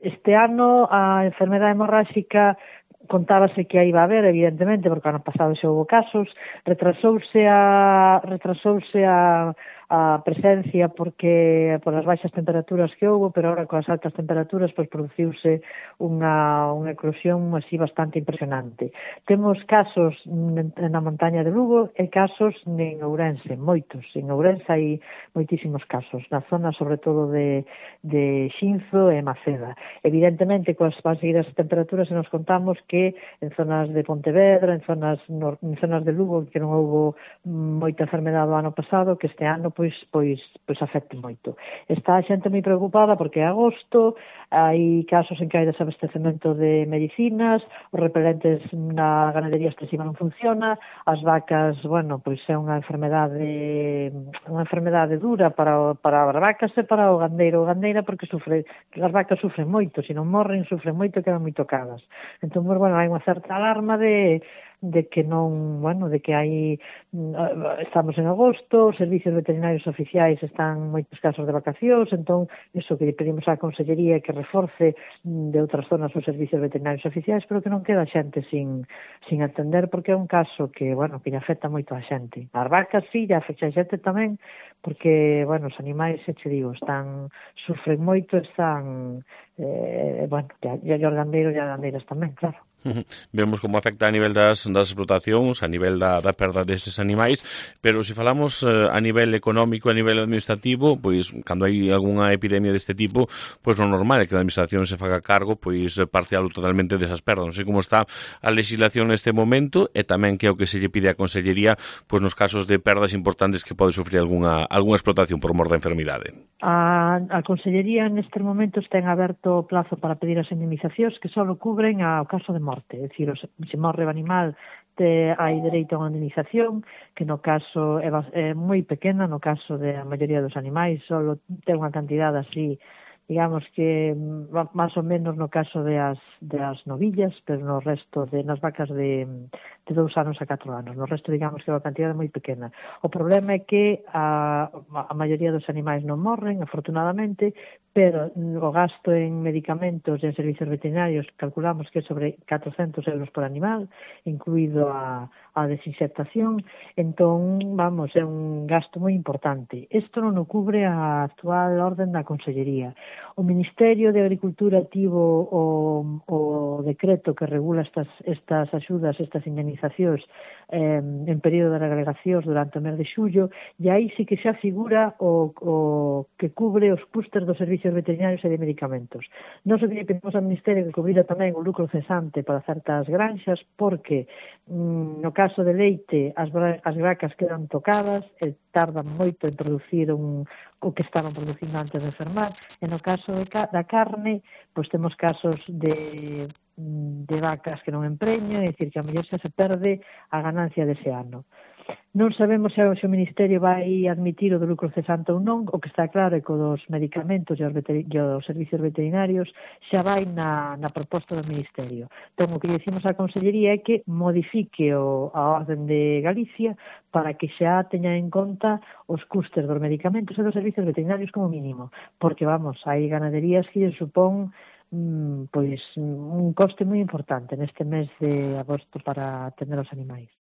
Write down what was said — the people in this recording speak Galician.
Este ano a enfermedade hemorráxica contábase que a iba a haber, evidentemente, porque ano pasado xa houve casos, retrasouse a presencia porque por as baixas temperaturas que houve, pero agora coas altas temperaturas pois produciuse unha eclosión así bastante impresionante. Temos casos na montaña de Lugo e casos en Ourense, moitos. En Ourense hai moitísimos casos, na zona sobre todo de Xinzo e Maceda. Evidentemente, coas baixas temperaturas se nos contamos que en zonas de Pontevedra, en zonas de Lugo, que non houve moita enfermedade o ano pasado, que este ano pois afecte moito. Está a xente moi preocupada porque é agosto, hai casos en que hai desabastecemento de medicinas, os repelentes na ganadería extensiva non funciona, as vacas, bueno, pois é unha enfermedade dura para as vacas e para o gandeiro ou gandeira, porque as vacas sufren moito, se non morren, sufren moito e quedan moi tocadas. Entón, bueno, hai unha certa alarma de que non, bueno, de que estamos en agosto, os servicios veterinarios oficiais están moitos casos de vacacións, entón, iso que pedimos á Consellería que reforce de outras zonas os servicios veterinarios oficiais, pero que non queda xente sin atender, porque é un caso que, bueno, que lle afecta moito a xente. As vacas, sí, lle afecta a xente tamén, porque, bueno, os animais, xe digo, sufren moito, bueno, e os gandeiros e as gandeiras tamén, claro. Vemos como afecta a nivel das explotacións, a nivel da perda destes animais, pero se falamos a nivel económico, a nivel administrativo, pois cando hai algunha epidemia deste tipo, pois o normal é que a administración se faga cargo, pois parcial ou totalmente desas perdas. Non sei como está a legislación neste momento e tamén que é o que se lle pide á Consellería pois nos casos de perdas importantes que pode sufrir algunha explotación por mor da enfermidade. A Consellería nestes momentos ten aberto o plazo para pedir as indemnizacións que só cubren ao caso de morte, é dicir, se morre o animal hai dereito a unha indemnización que no caso é moi pequena, no caso da maioría dos animais só ten unha cantidade así, digamos que máis ou menos no caso das novillas, pero no resto nas vacas de 2 anos a 4 anos, no resto digamos que é unha cantidade moi pequena. O problema é que a maioría dos animais non morren, afortunadamente, pero o gasto en medicamentos e en servicios veterinarios calculamos que é sobre 400 euros por animal, incluído a desinsectación, entón, vamos, é un gasto moi importante. Isto non o cubre a actual orden da Consellería. O Ministerio de Agricultura tivo o decreto que regula estas axudas, estas indemnizacións en período de agregacións durante o mes de xullo, e aí sí que xa figura o que cubre os custes dos servicios veterinarios e de medicamentos. Nos o que pedimos ao Ministerio que cubrira tamén o lucro cesante para certas granxas, porque no caso de leite as vacas quedan tocadas e tardan moito en producir o que estaban producindo antes de enfermar, e no caso da carne, pois temos casos de vacas que non empreñan, é dicir, que a mellor xa se perde a ganancia dese ano. Non sabemos se o Ministerio vai admitir o do lucro cesante ou non, o que está claro é que os medicamentos e os servicios veterinarios xa vai na proposta do Ministerio. Entón, o que decimos á Consellería é que modifique a orden de Galicia para que xa teña en conta os custes dos medicamentos e dos servicios veterinarios como mínimo, porque, vamos, hai ganaderías que lle supón pois un coste moi importante neste mes de agosto para atender os animais.